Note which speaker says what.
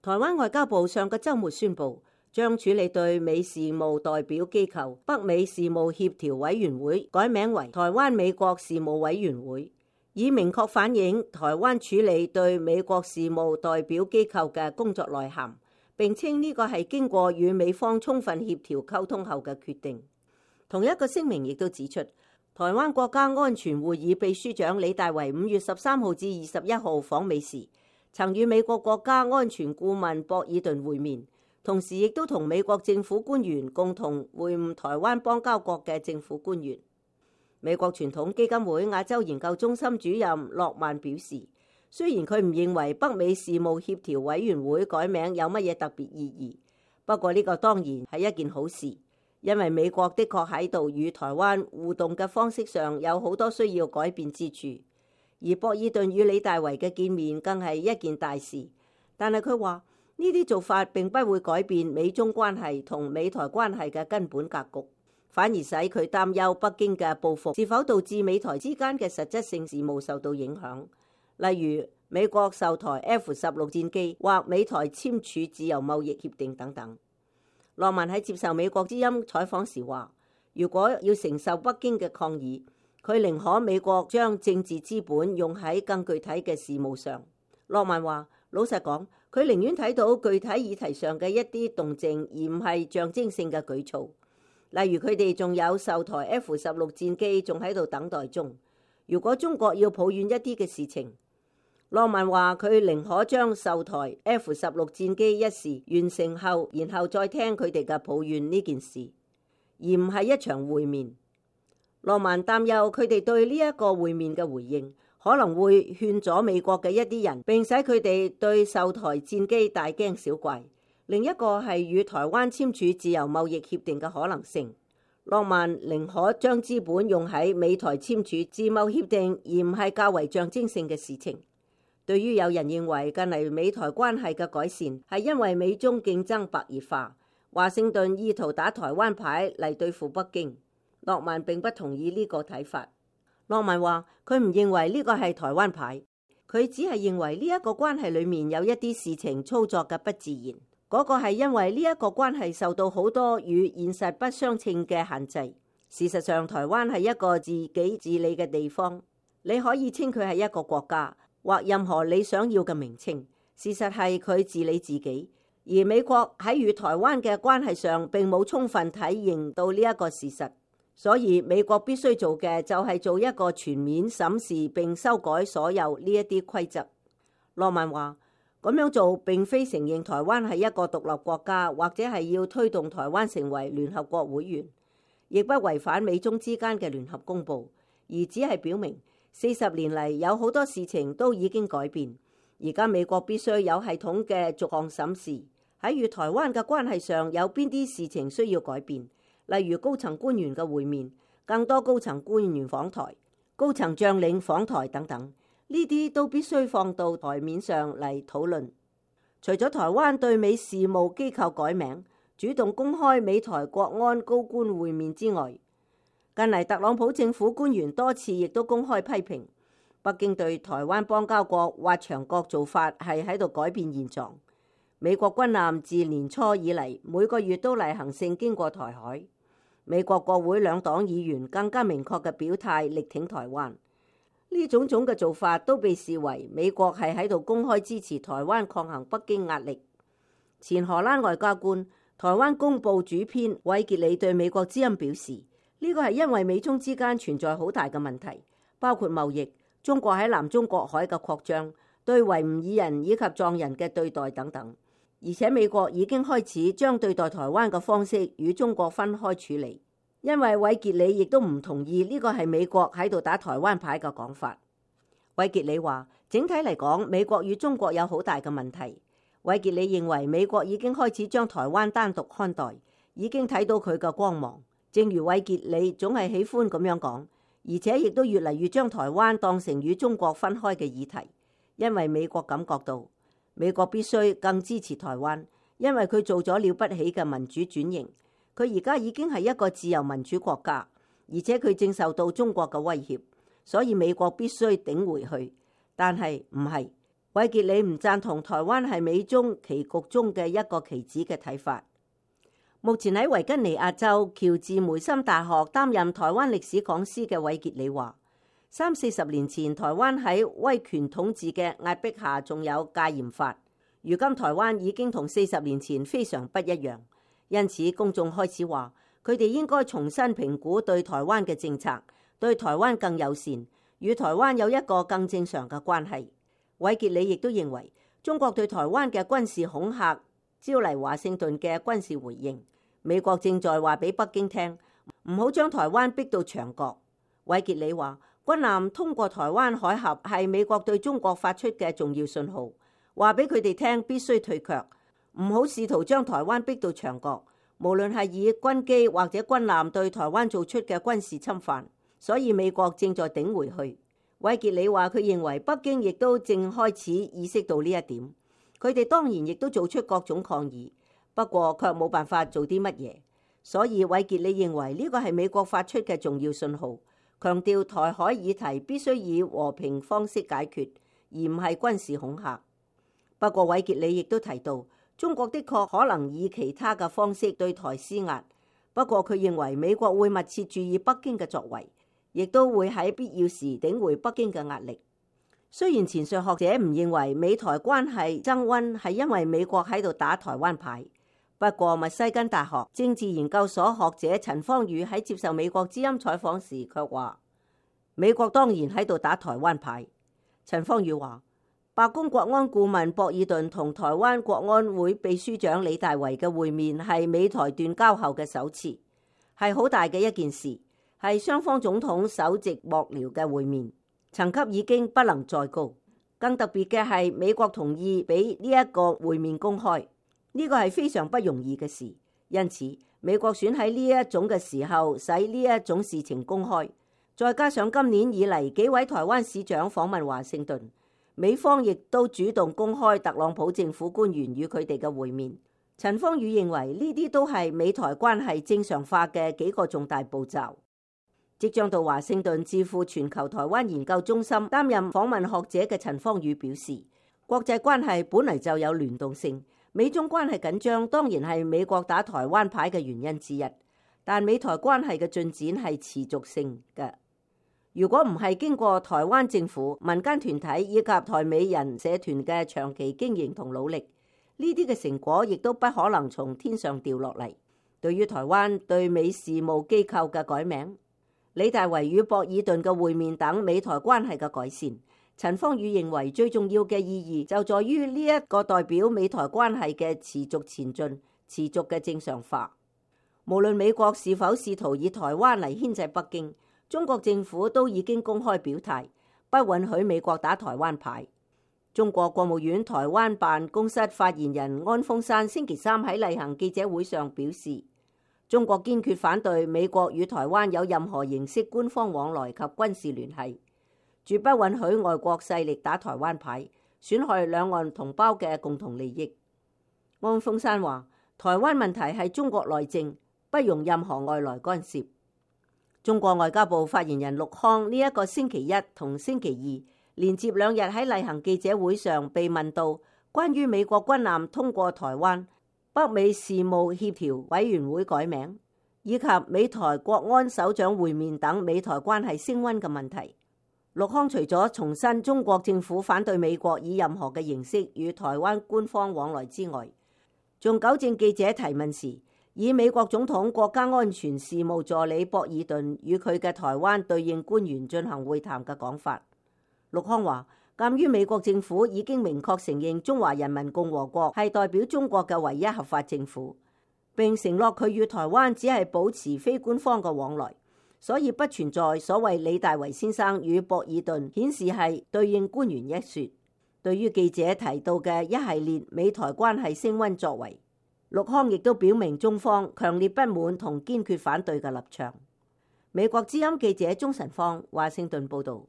Speaker 1: 台灣外交部上個週末宣布，將處理對美事務代表機構北美事務協調委員會改名為台灣美國事務委員會，以明確反映台灣處理對美國事務代表機構嘅工作內涵，並稱呢個係經過與美方充分協調溝通後嘅決定。同一個聲明亦都指出，台灣國家安全會議秘書長李大維5月13號至21號訪美時，曾與美國國家安全顧問博爾頓會面，同時亦都同美國政府官員共同會晤台灣邦交國嘅政府官員。美國傳統基金會亞洲研究中心主任諾曼表示，雖然佢唔認為北美事務協調委員會改名有乜嘢特別意義，不過呢個當然係一件好事。因為美國的確喺度與台灣互動嘅方式上有好多需要改變之處，而博爾頓與李大維嘅見面更係一件大事。但係佢話呢啲做法並不會改變美中關係同美台關係嘅根本格局，反而使佢擔憂北京嘅報復是否導致美台之間嘅實質性事務受到影響，例如美國售台 F-16戰機或美台簽署自由貿易協定等等。諾曼喺接受美國之音採訪時話，如果要承受北京嘅抗議，佢寧可美國將政治資本用喺更具體嘅事務上。諾曼話，老實講，佢寧願睇到具體議題上嘅一啲動靜，而唔係象徵性嘅舉措。例如佢哋仲有售台 F-16戰機仲喺度等待中。如果中國要抱怨一啲嘅事情，諾曼話佢寧可將售台 F-16戰機一事完成後，然後再聽佢哋嘅抱怨呢件事，而唔係一場會面。諾曼擔憂佢哋對呢一個會面嘅回應可能會勸阻美國嘅一啲人，並使佢哋對售台戰機大驚小怪。另一個係與台灣簽署自由貿易協定嘅可能性。諾曼寧可將資本用喺美台簽署自貿協定，而唔係較為象徵性嘅事情。對於有人認為近嚟美台關係嘅改善係因為美中競爭白熱化，華盛頓意圖打台灣牌嚟對付北京，諾曼並不同意呢個睇法。諾曼話佢唔認為呢個係台灣牌，佢只係認為呢一個關係裡面有一啲事情操作嘅不自然，嗰個係因為呢一個關係受到好多與現實不相稱嘅限制。事實上，台灣係一個自己治理嘅地方，你可以稱佢係一個國家，或任何你想要嘅名稱。事實係佢治理自己，而美國喺與台灣嘅關係上並冇充分體認到呢一個事實，所以美國必須做嘅就係做一個全面審視並修改所有呢一啲規則。諾曼話，咁樣做並非承認台灣係一個獨立國家，或者係要推動台灣成為聯合國會員，亦不違反美中之間嘅聯合公報，而只係表明40年嚟有好多事情都已經改變，而家美國必須有系統嘅逐項審視，喺與台灣嘅關係上有邊啲事情需要改變，例如高層官員嘅會面、更多高層官員訪台、高層將領訪台等等，呢啲都必須放到台面上嚟討論。除咗台灣對美事務機構改名、主動公開美台國安高官會面之外，近嚟特朗普政府官員多次亦都公開批評北京對台灣邦交國或牆國做法係喺度改變現狀。美國軍艦自年初以嚟每個月都例行性經過台海，美國國會兩黨議員更加明確嘅表態力挺台灣。呢種種嘅做法都被視為美國係喺度公開支持台灣抗衡北京壓力。前荷蘭外交官、台灣公報主編韋傑里對美國之音表示，呢個係因為美中之間存在好大嘅問題，包括貿易、中國喺南中國海嘅擴張、對維吾爾人以及藏人嘅對待等等。而且美國已經開始將對待台灣嘅方式與中國分開處理。因為韋傑里亦都唔同意呢個係美國喺度打台灣牌嘅講法。韋傑里話，整體嚟講，美國與中國有好大嘅問題。韋傑里認為美國已經開始將台灣單獨看待，已經睇到佢嘅光芒。正如韋傑里總係喜歡咁樣講，而且亦都越嚟越將台灣當成與中國分開嘅議題，因為美國感覺到美國必須更支持台灣，因為佢做咗了不起嘅民主轉型。佢而家已經係一個自由民主國家，而且佢正受到中國嘅威脅，所以美國必須頂回去。但係唔係韋傑里唔贊同台灣係美中棋局中嘅一個棋子嘅睇法。目前喺維吉尼亞州喬治梅森大學擔任台灣歷史講師嘅韋傑里話，30-40年前台灣喺威權統治嘅壓迫下仲有戒嚴法，如今台灣已經同40年前非常不一樣，因此公眾開始話佢哋應該重新評估對台灣嘅政策，對台灣更友善，與台灣有一個更正常嘅關係。韋傑里亦都認為中國對台灣嘅軍事恐嚇招嚟華盛頓嘅軍事回應，美國正在話俾北京聽，唔好將台灣逼到牆角。韋傑里話，軍艦通過台灣海峽係美國對中國發出嘅重要信號，話俾佢哋聽必須退卻，唔好試圖將台灣逼到牆角。無論係以軍機或者軍艦對台灣做出嘅軍事侵犯，所以美國正在頂回去。韋傑里話，佢認為北京亦都正開始意識到呢一點，佢哋當然亦都做出各種抗議，不過卻冇辦法做啲乜嘢。所以韋傑里認為呢個係美國發出嘅重要信號，強調台海議題必須以和平方式解決，而唔係軍事恐嚇。不過韋傑里亦都提到，中國的確可能以其他嘅方式對台施壓，不過佢認為美國會密切注意北京嘅作為，亦都會喺必要時頂回北京嘅壓力。雖然前述學者唔認為美台關係增溫係因為美國喺度打台灣牌，不過密西根大學政治研究所學者陳方宇喺接受美國之音採訪時卻話，美國當然喺度打台灣牌。陳方宇話，白宮國安顧問博爾頓同台灣國安會秘書長李大維嘅會面係美台斷交後嘅首次，係好大嘅一件事，係雙方總統首席幕僚嘅會面，層級已經不能再高。更特別嘅係美國同意俾呢一個會面公開，呢個係非常不容易嘅事，因此美國選喺呢一種嘅時候使呢一種事情公開，再加上今年以嚟幾位台灣市長訪問華盛頓，美方亦都主動公開特朗普政府官員與佢哋嘅會面。陳方宇認為呢啲都係美台關係正常化嘅幾個重大步驟。即將到華盛頓智庫全球台灣研究中心擔任訪問學者嘅陳方宇表示，國際關係本嚟就有聯動性，美中關係緊張當然係美國打台灣牌嘅原因之一，但美台關係嘅進展係持續性嘅。如果唔係經過台灣政府、民間團體以及台美人社團嘅長期經營同努力，呢啲嘅成果亦都不可能從天上掉落嚟。對於台灣對美事務機構嘅改名、李大維與博爾頓嘅會面等美台關係嘅改善，陳方宇認為最重要嘅意義就在於呢一個代表美台關係嘅持續前進、持續嘅正常化。無論美國是否試圖以台灣嚟牽制北京，中國政府都已經公開表態，不允許美國打台灣牌。中國國務院台灣辦公室發言人安峰山星期三喺例行記者會上表示，中國堅決反對美國與台灣有任何形式官方往來及軍事聯繫，絕不允許外國勢力打台灣牌，損害兩岸同胞嘅共同利益。安峰山話，台灣問題係中國內政，不容任何外來干涉。中國外交部發言人陸康呢一個星期一同星期二連接兩日喺例行記者會上被問到關於美國軍艦通過台灣、北美事務協調委員會改名以及美台國安首長會面等美台關係升溫嘅問題，陸康除咗重申中國政府反對美國以任何嘅形式與台灣官方往來之外，仲糾正記者提問時，以美國總統國家安全事務助理博爾頓與佢嘅台灣對應官員進行會談嘅講法。陸康話，鑑於美國政府已經明確承認中華人民共和國係代表中國嘅唯一合法政府，並承諾佢與台灣只係保持非官方嘅往來，所以不存在所謂李大維先生與博爾頓顯示係對應官員一說。對於記者提到嘅一系列美台關係升溫作為，陸康亦都表明中方強烈不滿同堅決反對嘅立場。美國之音記者鍾晨芳華盛頓報道。